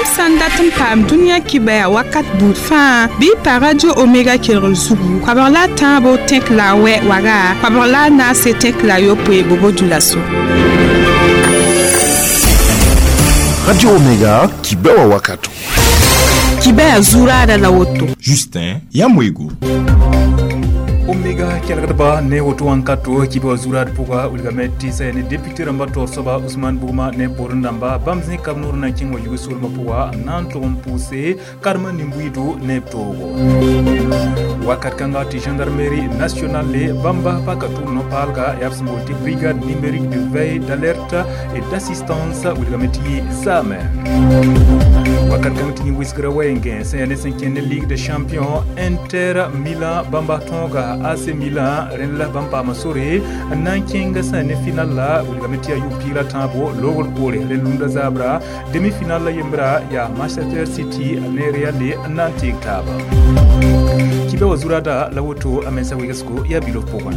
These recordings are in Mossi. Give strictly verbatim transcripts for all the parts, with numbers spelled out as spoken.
Yãmb sã n dat n paam dũniyã kibaya wakat buud fãa bɩ y pa Radio Omega kelgr zugu koabg la a tãabo tẽk la a wɛ waga koabg la a naase tẽk la a yopoe Bobo-Dioulasso. Radio Omega kibewa wakato. Kibaya zuraada la woto. Justin Yamwego. Omega kelgdba ne woto wãnkato kiba zurad pʋga wilgame tɩ sã ne député rãmba taoor soaba Ousmane Bugma ne poorẽ dãmba bãmb zĩ kab noor na n kẽng wa yug soolmã pʋga n na n tʋg n pʋʋse karema nin-buiido ne b toogo. Wakat kãnga tɩ gendarmerie nationale bãmba paka tʋʋm no-paalga yaa b sẽn boond tɩ brigade numérique de veille, d'alerte et d'assistance wilgame tɩ yɩ zaame. Wakat kãng tɩ yẽ wɩsgrã wɛɛngẽ sẽn yaa ne sẽn kẽnd ne Ligue des champions, Inter Milan bãmba tõoga A C Milan rẽnd la bãmb paama sore n na n kẽng sã ne final la wilgame tɩ yaa yʋ piig la tãabo loogr poore rẽnd lunda zabra demi-final la yembra yaa Manchester City ne Real n na n teeg taaba. Kibe wa zurada la woto a mensa wegesgo yaa bilof pʋgẽ.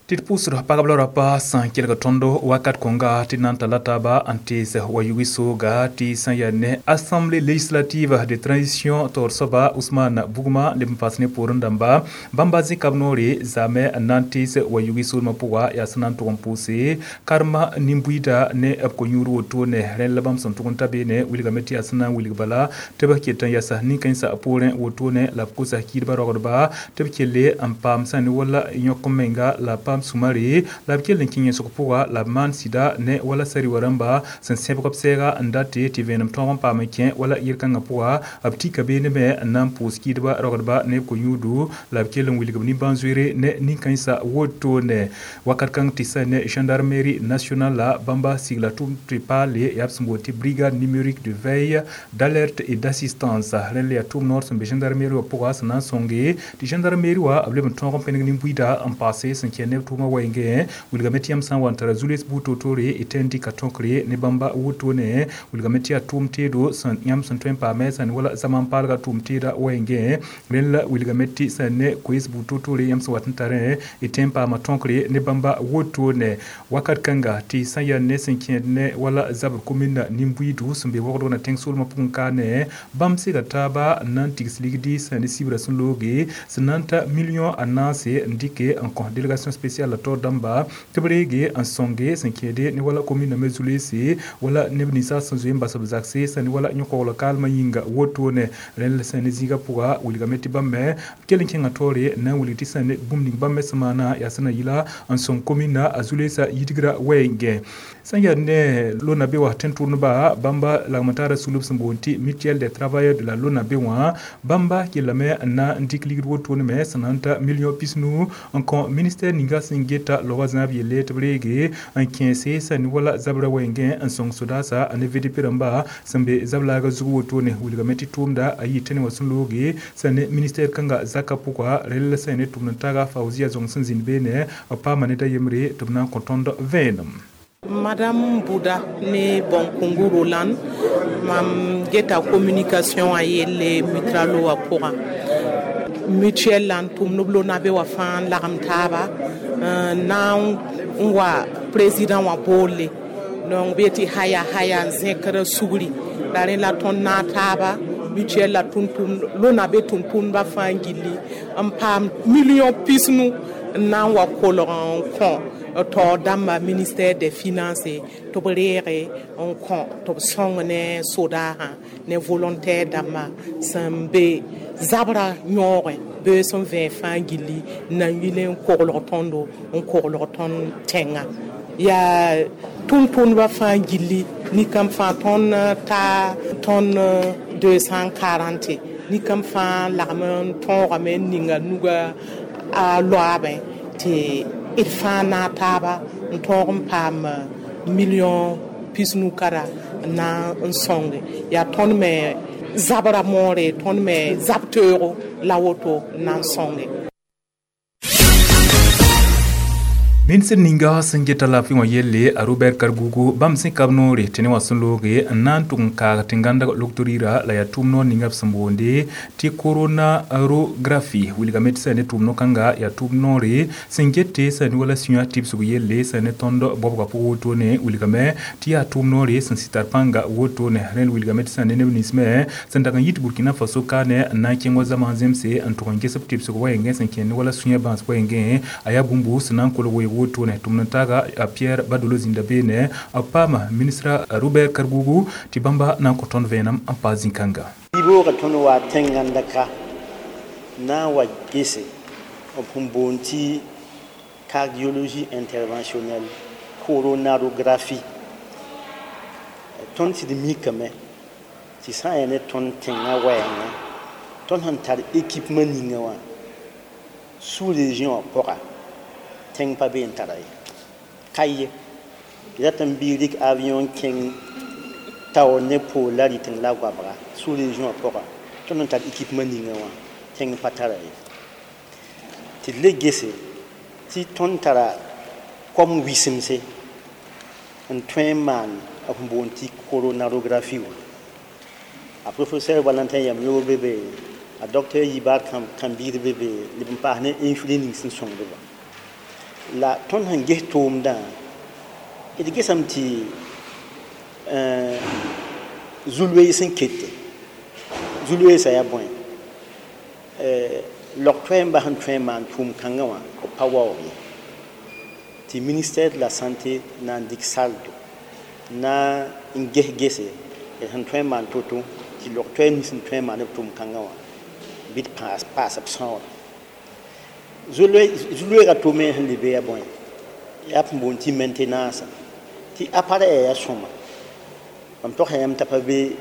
Tɩ d pʋʋsd pagb la rapa sã n kelg tõndo wakat kõnga tɩ na n talla taaba n tees wa yugi sooga tɩ sã n yaa ne Assemblée législative de transition taoor soaba Ousmane Bugma leb n paas ne poorẽ dãmba bãmba zĩ kab noore zaame n na n tees wa yugi soolmã pʋga yaa sẽn na n tʋg n pʋʋse karema nin-buiida ne b ko-yũud wotone rẽnd la bãmb sẽn tʋg n ta beene wilgame tɩ yaa sẽn na n wilg bala tɩ b ket n yasa nin-kãensã poorẽ wotone la b kosa kiidbã rogdba tɩ b kelle n paam sã ne wala yõk n menga la b paam sumare la b kell n kẽ yẽsg pʋga la b maan sɩda ne wala sari-wa rãmba sẽn sẽbg b sɛɛga n date tɩ vẽenem tõog n paam n kẽ wala yel-kãngã pʋga b tika beene me n na n pʋʋs kiidbã rogdba ne b ko-yũudo la b kell n wilg b nimbãan-zoeere ne nin-kãensã wotone. Wakat kãng tɩ sã ne gendarmerie nationale la bãmba sigla tʋm tɩ paale yaa b sẽn boond tɩ brigade numérique de veille, d'alerte et d'assistance rẽnd la yaa tʋʋm noor sẽn be gendarmerie wã pʋga sẽn na n sõnge tɩ gendarmerie wã b leb n tõog n pẽneg nin-buiida n paase sẽn kẽ ne b tʋʋmã wɛɛngẽ wilgame tɩ yãmb sã n wa n tara zules buud toor-toore y tõe n dɩka tõkre ne bãmba wotone wilgame tɩ yaa tʋʋm teedo sẽn yãmb sẽn tõe n paame sã ne wala zaman paalga tʋʋm teeda wɛɛngẽ rẽnd la wilgame tɩ sã ne koees buud toor-toore yãmb sẽn wat n tarẽ y tõe n paama tõkre ne bãmba wotone. Wakat kãnga tɩ sã n yaa ne sẽn kẽed ne wala zabr komina nin-buiidu sẽn be wogdg na tẽng soolmã pʋgẽ kaane bãmb sega taaba n na n tigs ligdi sã ne sibra sẽn looge sẽn na n ta million a naase n dɩke n kõ délégation spéciale la taoor dãmba tɩ b reege n sõnge sẽn kẽede ne wala komina me zulese wala neb ninsã sẽn zoe n bas b zakse sã ne wala yõ-koglg kaalmã yĩnga wotone rẽnd la sã ne zĩigã pʋga wilgame tɩ bãmb me b kell n kẽngã taoore n na n wilg tɩ sã ne bũmb ning bãmb me sẽn maana yaa sẽn na yɩla n sõng komina a zulesã yidgrã wɛɛngẽ. Sã n yaa ne LONABE wã tẽn-tʋʋmdba bãmba lagem n taara sulb sẽn boond tɩ mutuelle des travailleurs de la LONABE wã bãmba kellame n na n dɩk ligd wotone me sẽn na n ta million pisnu n kõ ministère ninga sẽn geta loga zãab yelle tɩ b reege n kẽese sã ne wala zabrã wɛɛngẽ n sõng sodaasa ne V D P rãmba sẽn be zab-laaga zug wotone wilgame tɩ tʋʋmda a yɩ tẽne wã sẽn looge sã ne ministère kãnga zakã pʋga rel sã ne tʋmd n taaga Faouzia zõng sẽn zĩnd beene b paama ne da yembre tɩ b na n kõ tõnd vẽenem. Madame Bouda ne Bonkungu Roland, mam geta communication a yelle mutralo wa pʋgã mutuelle la n tʋmd b LONABE wã fãa n lagem taaba n na n wa président wã boolle donc b yetɩ haya haya n zẽkd sugri la rẽ la tõnd naag taaba mutuelle la tʋm-tʋmd LONABE tʋm-tʋmdbã fãa gilli n paam million pisnu n na n wa kolg n kõ taoor dãmba ministère des finances tɩ b reege n kõ tɩ b sõng ne sodaasã ne volontaire dãmba sẽn be zabra yõogẽ bee sẽn vẽ fãa gilli n na n yɩl n koglg tõndo n koglg tõnd tẽngã yaa tʋm-tʋmdbã fãa gilli nin-kãmb fãa tõnd ta tõnd deux cent quarante nin-kãmb fãa lagem n tõogame n ninga nuga a loaabẽ tɩ d fãa naag taaba n tõog n paam million pisnu kara n na n sõnge yaa tõnd me zabra moore tõnd me zab teoogo la woto n na n sõnge. Ministr ninga sẽn geta laafɩ wã yelle a Robert Kargougou bãmb sẽn kab noore tɩ ne wã sẽn looge n na n tʋg n kaag tẽn-gãndg loktoriira la yaa tʋʋm noor ninga b sẽn boonde tɩ coronarographie wilgame tɩ sã ne tʋʋm no-kãnga yaa tʋʋm noore sẽn gete sã ne wala sũyã tɩbsg yelle sã ne tõnd bɔbga pʋg wotone wilgame tɩ yaa tʋʋm noore sẽn sɩ tar pãnga wotone rẽnd wilgame tɩ sã ne neb nins me sẽn dag n yit Burkina Faso kaane n na n kẽng wa zãma zemse n tʋg n ges b tɩbsg wɛɛngẽ sẽn kẽnd ne wala sũyã bãas wɛɛngẽ a yaa bũmb sẽn na n kolg weoog wotone tʋmd n taaga a Pierre Badolo zĩnda beene b paama ministra Robert Kargougou tɩ bãmba na n kõ tõnd vẽenem n paas zĩ-kãnga. Yiboogã tõnd wa tẽn-gãndka na n wa gese b sẽn boond tɩ cardiologie interventionnelle coronarographie. Tõnd sɩd mikame tɩ sã n yaa ne tõnd tẽngã wɛɛngã tõnd sẽn tar équipement ninga wã sous-région wã pʋga tẽng pa be n tara ye ka ye tɩ rat n bɩ rɩk avion kẽng taoor ne poor la rɩteng la goabga sous-région wã pʋga tõnd sẽn tar équipement ninga wã tẽng pa tara ye tɩ d le gese tɩ tõnd tara kom wɩsemse n tõe n maan b sẽn boond tɩ coronarographie wã. A professeur Valentin Yamyoogo be be, a docteur Yibar Kãmbiir be be, leb n paas ne infirmier ning sẽn sõngd ba. La tõnd sẽn ges tʋʋmdã d gesame tɩ zu-loees sẽn kete zu-loeesã yaa bõe log-toɛɛmbã sẽn tõe n maan tʋʋm kãngã wã b pa waoog ye tɩ ministère de la santé na n dɩk saldo na n ges gese d sẽn tõe n maan to-to tɩ log-toɛɛm nins sẽn tõe n maan b tʋʋm kãngã wã bɩ d paas paas b sãoora. Zu-loeegã tome sẽn le be yaa bõe yaa b sẽn boond tɩ maintenance tɩ appareil yaa sõma mam togsa yãmb t'a pa be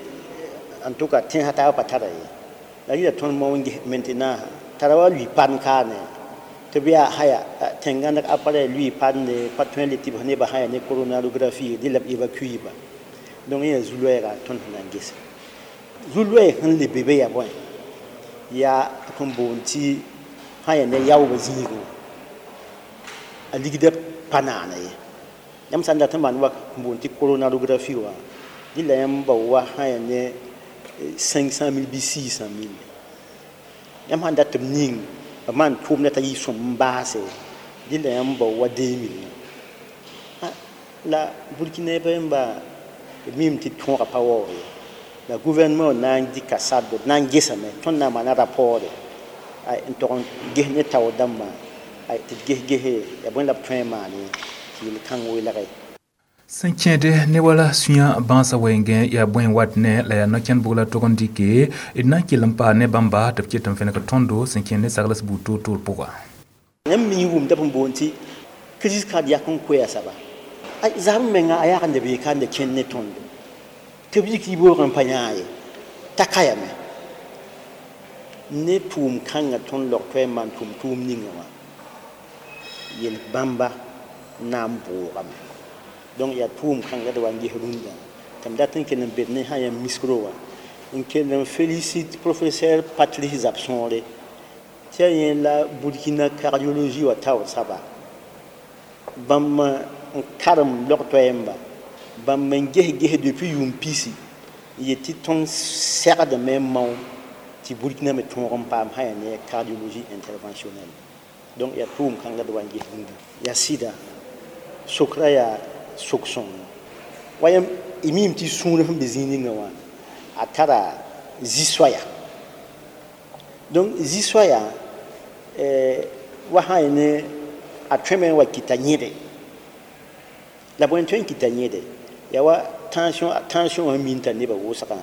en tout cas tẽnsã taabã pa tara ye la rɩla tõnd mao n ges maintenance tara wa lʋɩ pan kaane tɩ b yaa haya tẽn-gãndg appareil lʋɩ pande pa tõe n le tɩ b nebã sã yaa ne coronarographie dẽ la b évacue ba. Donc yẽ yaa zu-loɛɛga tõnd sẽn na n gese. Zu-loɛɛg sẽn le be be yaa bõe yaa sẽn boond tɩ sã yaa ne yaoobã zĩigẽ wã a ligdã pa naana ye. Yãmb sã n dat n maan wa n boond tɩ coronarographie wã dɩ la yãmb bao wa sã yaa ne cinq cent mille bɩ six cent mille. Yãmb sãn dat tɩ b ning b maan tʋʋmdã t'a yɩ sõm n baase dɩ la yãmb bao wa deux mille. La Burkina yãmba b mim tɩ tõogã pa waoog ye la gouvernement na n dɩka sardo d na n gesame tõnd na n maana rapport n tog n ges ne taoor dãmbã tɩ d ges gese yaa bõe la b tõe n maane tɩ yel-kãng welge. Sẽn kẽede ne wala sũyã bãasã wɛɛngẽ yaa bõe n wat ne la yaa no-kẽnd bʋg la tog n dɩke d na n kell n paa ne bãmba tɩ b ket n fẽneg tõndo sẽn kẽnd ne sagls buud toor-toor pʋga. Yãmb mi wʋmda b sẽn boond tɩ crise cardiaque n koɛɛ saba zab menga a yag n bee ka n kẽnd ne tõndo tɩ b yik yiboog n pa yãa ye t'a ka yame ne tʋʋm kãngã tõnd log toɛɛ n maan tʋʋm tʋʋm ninga wã yel bãmba na n bʋʋgame. Donc yaa tʋʋm kãnga d wa n ges rũndã tɩ m dat n kell n bed ne sã yã miskro wã n kell n félicite professeur Patrice Zabsõore tɩ yaa yẽ la Burkina cardiologie wã taoor saba bãmb n karem log toɛɛmba bãmb n ges ges depuis yʋʋm pisi n yet tɩ tõnd segdame n mao tɩ Burkina me tõog n paam sã yaa ne cardiologie interventionnelle. Donc yaa tʋʋm kãnga d wa n ges rũndã yaa sɩda sokra yaa sok sõngo wa yãmb y miime tɩ sũur sẽn be zĩig ninga wã a tara zi-soaya. Donc zi-soaya wa sã yaa ne a tõeme n wa kɩta yẽde la bõe n tõe n kɩta yẽde yaa wa tension tension wã min t'a nebã wʋsgã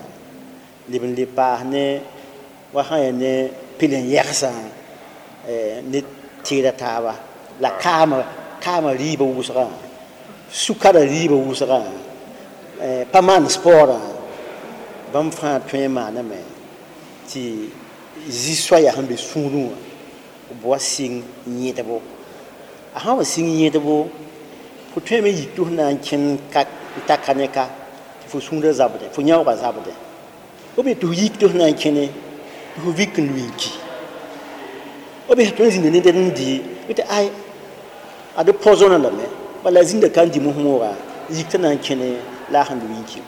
leb n le paas ne wa sã yaa ne pelen-yɛgsã ne teera taaba la kaamã kaamã rɩɩbã wʋsgã sukara rɩɩbã wʋsgã pa maan sportã bãmb fãa tõe n maaname tɩ zi-soaya sẽn be sũurẽ wã b wa sɩng yẽdbo. A sã wa sɩng yẽdbo fo tõeme yik tɩ f na n kẽnd ka n ta ka ne ka tɩ fo sũurã zabdẽ fo yãoogã zabdẽ b tɩ f yik tɩ f na n kẽne tɩ fo vik n lʋɩ n ki b tõe n zĩnda ned n dɩ tɩ ay Ad poisonné lame bala zĩnda ka n dɩ mos-moogã yik t'a na n kẽne la a sẽn lʋɩ n ki.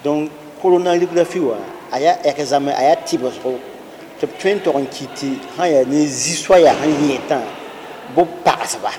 Donc coronagraphie wã a yaa examen, a yaa tɩbsgo tɩ b tõe n tog n kɩt tɩ sã yaa ne zi-soaya sẽn yẽetã bɩ b pagsba.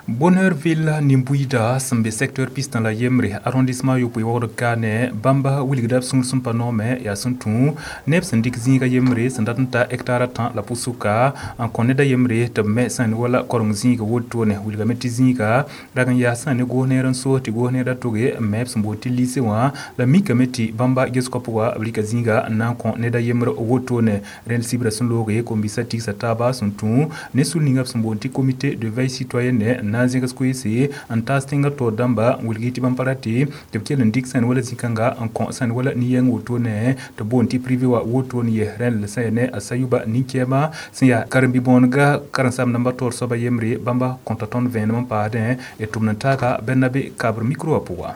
Bonheurville nin-buiida sẽn be secteur pistã la yembre arrondissement yopoe waoogd kaane bãmba wilgda b sũur sẽn pa noome yaa sẽn tũ neb sẽn dɩk zĩiga yembre sẽn dat n ta hectare a tã la pʋsʋka n kõ ned a yembre tɩ b me sã n wala koreng zĩiga wotone. Wilgame tɩ zĩiga rag n yaa sã ne goos neer n soos tɩ goos neer a toge n me b sẽn boond tɩ lycée wã la mikame tɩ bãmba gesgã pʋga b rɩka zĩiga n na n kõ ned a yembre wotone. Rẽnd sibra sẽn looge kom-biisã tigsa taaba sẽn tũ ne sul ninga b sẽn boond tɩ comité de veille citoyenne n na n zẽgs koeese n taas tẽngã taoor dãmba n wilg tɩ bãmb pa rate tɩ b kell n dɩk sãn wala zĩ-kãnga n kõ sãn wala nin-yɛng wotone tɩ boond tɩ privé wã wotone ye. Rẽnd sã yaa ne a Sayuba nin-kɛɛma sẽn yaa karen-bi-bõonega karen-saam dãmba taoor soaba yembre bãmba kõta tõnd vẽenem n paasdẽ d tʋmd n taaga Bernabe kabr micro wã pʋga.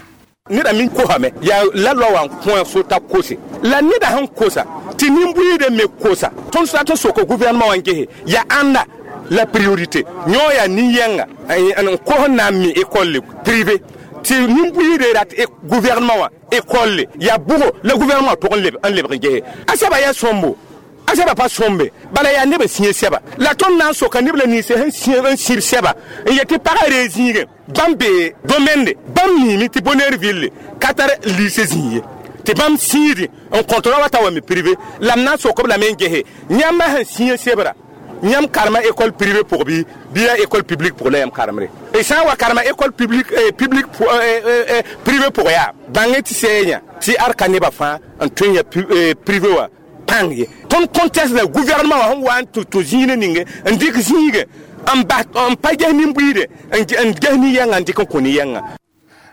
Neda min kosame yaa la loa wã n kõ so t'a kose la neda sẽn kosa tɩ nin-buiidã me kosa. Tõnd sã tɩ soka gouvernement wã n gese yaa ãnda la priorité yõ yaa nin-yɛnga n kos n na n mi école privé tɩ nin-buiidã rat gouvernement wã école yaa bʋgo la gouvernement tʋg n lebg n gese a sɛba yaa sõmbo a sɛba pa sõmbe bala yaa neb n sĩe sɛba la tõnd na n soka neb la ninse sẽn n sĩb sɛba n yet tɩ pagã ree zĩigẽ bãmb be domaine bãmb miime tɩ Bonheurville ka tar lycée zĩig ye tɩ bãmb sĩidi n kõt ra wa t'a wa me privé la m na n sok b lame n gese yãmba sẽn sĩe sebra yãmb karema école privée pʋg bɩ bɩ yaa école publique pʋg la yãmb karemre y sã n wa karema école publique publique privé pʋg yaa bãng tɩ sɛɛ yã tɩ ad ka nebã fãa n tõe n ya privé wã pãng ye. Tõnd conteste la gouvernement wã sẽn wa n tɩ tũ zĩig ninge n dɩk zĩige n bas n pa ges nin-buiide n ges nin-yɛngã n dɩk n kõ nin-yɛngã.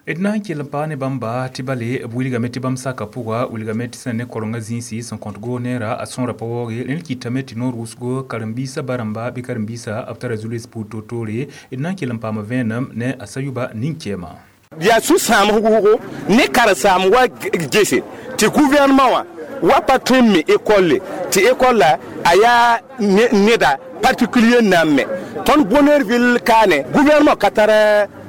D na n kell n paa ne bãmba tɩ bale b wilgame tɩ bãmb saka pʋga wilgame tɩ sẽn ne korengã zĩisi sẽn kõt goos neera a sõora pa waooge. Rẽnd kɩtame tɩ noor wʋsgo karen-biisã ba-rãmba bɩ karen-biisã b tara zu-loees puur toor-toore. D na n kell n paama vẽenem ne a Sayuba nin-kɛɛma. Yaa sũ-sãam wʋsgo ne karen-saam wa gese tɩ gouvernement wã wa pa tõe n me école tɩ école la a yaa neda particulier na n me. Tõnd Bonheurville kaane gouvernement ka tar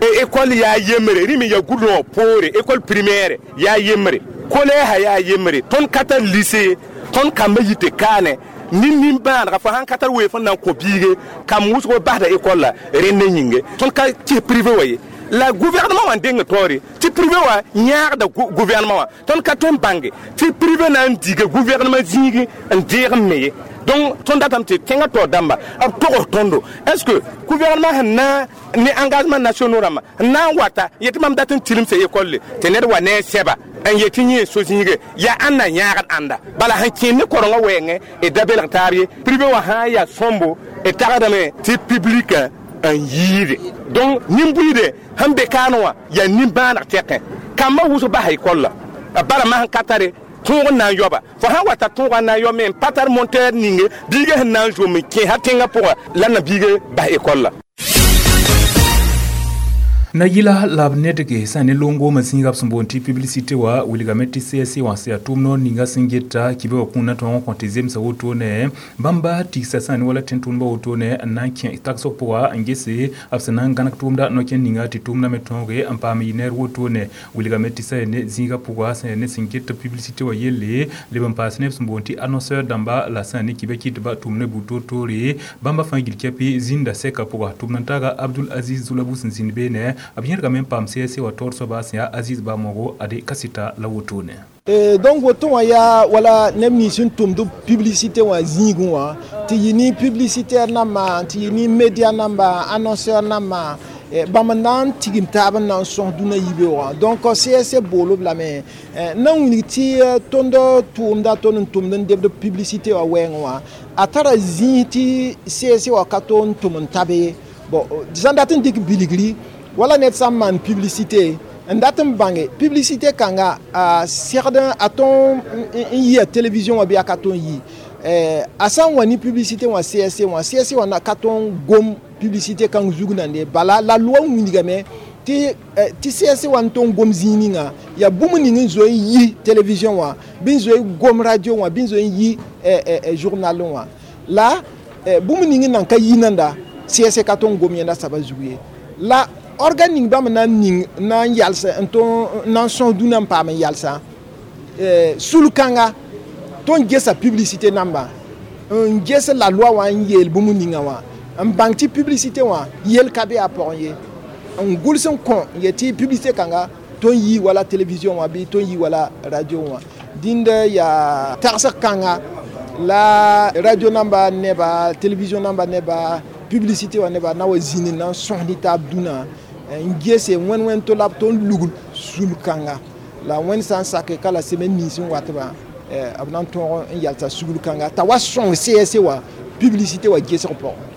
école yaa yembre rẽ me yaa goudron poore école primaire yaa yembre collège yaa yembre tõnd ka tar lycée tõnd kambã yite kaane nin nin-bãadga fo sãn ka tar weef n na n kõ biige kam wʋsgo basda école la rẽnd yĩnge tõnd ka kɩs privé wã ye la gouvernement wã n deng taoore tɩ privé wã yãagda gouvernement wã tõnd ka tõe n bãnge tɩ privé na n diga gouvernement zĩigi n deeg n me ye. Donc tõnd datame tɩ tẽngã taoor dãmba b togs tõndo est ce que gouvernement sẽn na ne engagement nationaux rãmbã n na n wata yetɩ mam dat n tilimsa école tɩ ned wa ne a sɛba n yetɩ yẽ so zĩige yaa ãnda yãagd ãnda bala sẽn kẽen ne korengã wɛɛngẽ d da belg taab ye privé wã sã n yaa sõmbo d tagsdame tɩ public n yiide. Donc nin-buiide sẽn be kaane wã yaa nin-bãaneg tɛkẽ kambã wʋsg basa école la bara masẽn ka tare tõog n na n yaoba fo sã n wa tar tõogã n na n yao me n pa tar monteur ninge biigã sẽn na n zom n kẽ ha tẽngã pʋga la na biige bas école la. Na yɩla la b nedge sã ne longoomã zĩiga b sẽn boond tɩ publicité wã wilgame tɩ C S C wã sẽn yaa tʋʋm noor ninga sẽn geta kibã wã kũunã tõog n kõ tɩ zemsa wotone bãmba tigsa sã ne wala tẽn-tʋʋmdbã wotone n na n kẽ tagsg pʋga n gese b sẽn na n gãneg tʋʋmda no-kẽnd ninga tɩ tʋʋmdã me tõoge n paam yɩ neer wotone wilgame tɩ sã ne zĩiga pʋga sã ne sẽn get publicité wã yelle leb n paas neb sẽn boond tɩ annonceur dãmba la sã ne kibã kɩtba tʋʋm ne buud toor-toore bãmba fãa gil kɛpɩ zĩnda sɛka pʋga tʋʋmd n taaga Abdul Aziz Zulabu sẽn zĩnd beene b yẽrgame n paam C S C wã taoor soaba sẽn yaa Aziz Bamogo ade kasita la wotone. Donc woto wã yaa wala neb nins sẽn tʋmd publicité wã zĩigẽ wã tɩ yɩ ne publicitaire nambã tɩ yɩ ne média namba annonceur nambã bãmb n na n tigim taab n na n sõs dũnã yibeoogã. Donc C S C bool b lame n na n wilg tɩ tõnd tʋʋmda tõnd n tʋmd n debd publicité wã wɛɛngẽ wã a tara zĩig tɩ C S C wã ka to n tʋm n tabe ye. Bon, sãn dat n dɩk bilgri wala ned sã n maan publicité n dat n bãnge publicité kãnga a segd a tõn n yɩa télévision wã bɩ a ka tõn yi a sã n wa ne publicité wã C S C wã C S C wã ka tõn gom publicité kãng zug nande bala la loi n wilgame tɩ tɩ C S C wã n tõn gom zĩig ninga yaa bũmb ning n zoe n yi télévision wã bɩ n zoe gom radio wã bɩ n zoe n yi journal wã la bũmb ning n nan ka yi nanda. C S ka tõe n gom yẽnda saba zugu ye la organe ning bãmb na n ning na n yals n tõe na n sõs dũnã n paam n yalsã sul-kãnga tõnd gesa publicité namba n ges la loi wã n yeel bũmb ninga wã n bãng tɩ publicité wã yel ka be a pʋgẽ ye n gʋls n kõ n yet tɩ publicité kãnga tõnd yi wala télévision wã bɩ tõnd yi wala radio wã dĩnd yaa tagsg kãnga la radio namba neba télévision namba neba publicité wã neba na wa zĩnd na n sõs ne taab dũnã n gese wẽn wẽn to la b tõnd lugl sul-kãnga la wẽnd sã n sake ka la semaine nins n watbã b na n tõog n yalsa sugl kãnga t'a wa sõng C S wã publicité wã gesg pʋgẽ.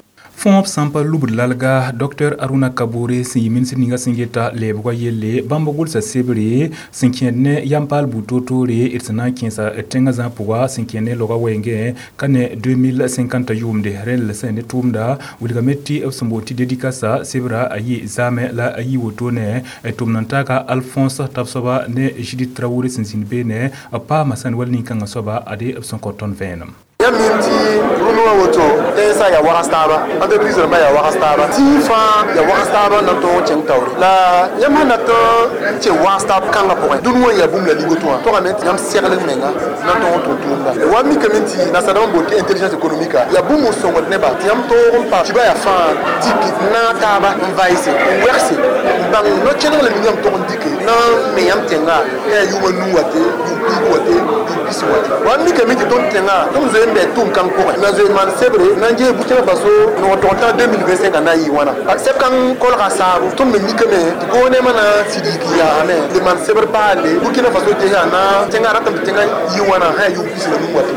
Fõob sã n pa lubd lalga Docteur Aruna Kabore sẽn yɩ ministr ninga sẽn geta leebgã yelle bãmb gʋlsa sebre sẽn kẽed ne yam-paal buud toor-toore d sẽn na n kẽesa tẽngã zã pʋga sẽn kẽed ne loga wɛɛngẽ ka ne deux mille cinquante yʋʋmde rẽnd sẽn ne tʋʋmda wilgame tɩ b sẽn boond tɩ dédicace sebra a yɩ zaamẽ la a yɩ wotone tʋm n taaga Alphonse tab soaba ne Judith Traoré sẽn zĩnd beene b paama sãn wall nin-kãngã soaba ade b sẽn kõ tõnd vẽenem. Yãmb mim tɩ rũndã wã woto tẽnsã yaa wags taaba entreprise rãmbã yaa wags taaba tɩ fãa yaa wags taaba n na n tõog n kẽng taoore la yãmb sẽn dat n kẽ wags taab kãngã pʋgẽ dũni wã yaa bũmb la ligoto wã togame tɩ yãmb segl menga na n tõog n tʋm tʋʋmda wa mikame tɩ nasadãmb n boond tɩ intelligence économique yaa bũmb n sõngd neba tɩ yãmb tõog n pa tɩ ba yaa fãa dɩk naag taaba n vaɩse n wɛgse n bãng no-kẽneg la ning yãmb tog n dɩke na n me yãmb tẽnga yaa yʋʋma nuu wa te yʋʋm piig wa te yʋʋm pis wa te wa mikame tɩ tõnd tẽnga tõnd zoe n bɛ tʋʋm kãng pʋgẽ na zoe maan sebre na n ges Burkina Faso nog tog tã deux mille vingt-cinq na n yɩ wãna sɛb kãng kolga saabo tõnd me mikame tɩ gouvernement na sɩd yik yaasame le maan sebr paalle Burkina Faso ges na tẽnga ratame tɩ tẽnga yɩ wãna sã yaa yʋʋm pis la nuu wa te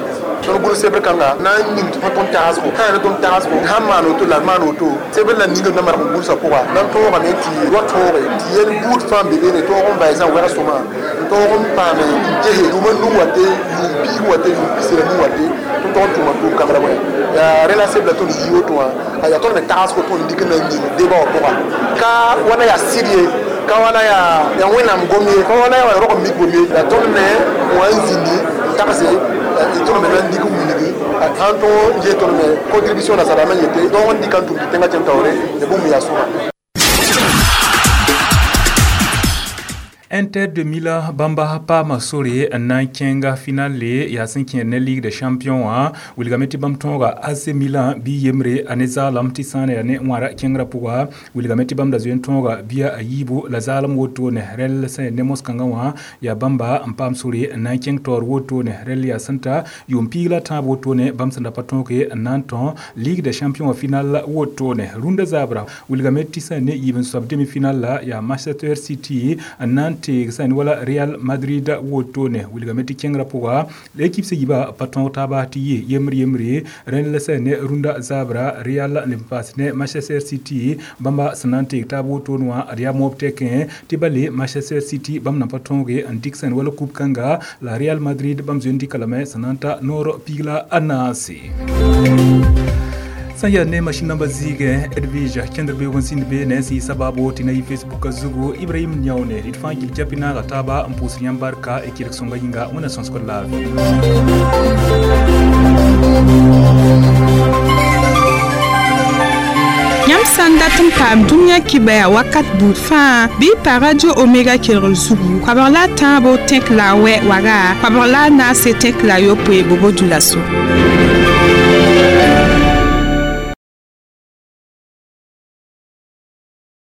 tõnd gʋls sebr kãnga na n ning tɩ tõnd tagsgo sã yaa ne tõnd tagsgo sãn maan woto la maan woto sebr la ningd na marg n gʋlsã pʋga na n tõogame tɩ wa tõoge tɩ yel buud fãa n be beene tõog n vaɩsã wɛg sõma n tõog n paame n gese yʋʋma nuu wa te yʋʋm piig wa te yʋʋm pis la nuu wa te tõnd tog n tʋma tʋʋm kãngrã bõe yaa rẽ la sebla tõnd yi woto wã a yaa tõnd me tagsgo tõnd dɩk n na n yĩng deba wã pʋga ka wala yaa sɩd ye ka wala yaa yaa wẽnnaam gom ye ka wala yaa rog n mik bom ye la tõnd me wã n zĩndi n tagse tõnd me na n dɩk n wilgi sãn tõog n ges tõnd me contribution nasaaraamã yete tõog n dɩka n tʋm tɩ tẽngã kẽn taoore ya bũmb yaa sõma. Inter de Milan bãmba paama sore n na n kẽnga finale yaa sẽn kẽer ne Ligue des champions wã wilgame tɩ bãmb tõoga A C Milan bɩ yembre a ne zaalem tɩ sã n yaa ne wãra kẽngrã pʋga wilgame tɩ bãmb da zoe n tõoga bia a yiibu la zaalem wotone rɛl sẽn ne mos-kãngã wã yaa bãmba n paam sore n na n kẽng taoor wotone rɛl yaa sẽn ta yʋʋm piig la tãab wotone bãmb sẽn da pa tõoge n na n tõ Ligue des champions wã final wotone rũndã zabra wilgame tɩ sẽn ne yiib n soab demi final la yaa Manchester City n na n teeg sẽn wala Real Madrid wotone wilgame tɩ kẽngrã pʋga l'équipe sẽn yiba pa tõog taaba tɩ yɩ yembre yembre rẽnd la sẽn ne rũndã zabra Real n paas ne Manchester City bãmba sẽn na n teeg taab wotone wã ad yaa moob tɛkẽ tɩ bale Manchester City bãmb na pa tõoge n dɩk sẽn wala coupe kãnga la Real Madrid bãmb zoe n dɩka lame sẽn na n ta noor piig la a naase sẽn yaa ne machine namba zɩɩgẽ Edwige kẽndr beoog n sĩnd beene sẽn yɩ sabaabo tɩ na yɩ Facebook zugu Ibrahim Niaone d fãa gil japi naaga taaba n pʋʋsd yãmb barka y kelg sõnga yĩnga wẽnna sõsgd laafɩ. Yãmb sã n dat n paam dũniyã kibaya wakat buud fãa bɩ y pa Radio Omega kelgr zugu koabg la a tãabo tẽk la a wɛ waga koabg la a naase tẽk la a yopoe bobo dulaso.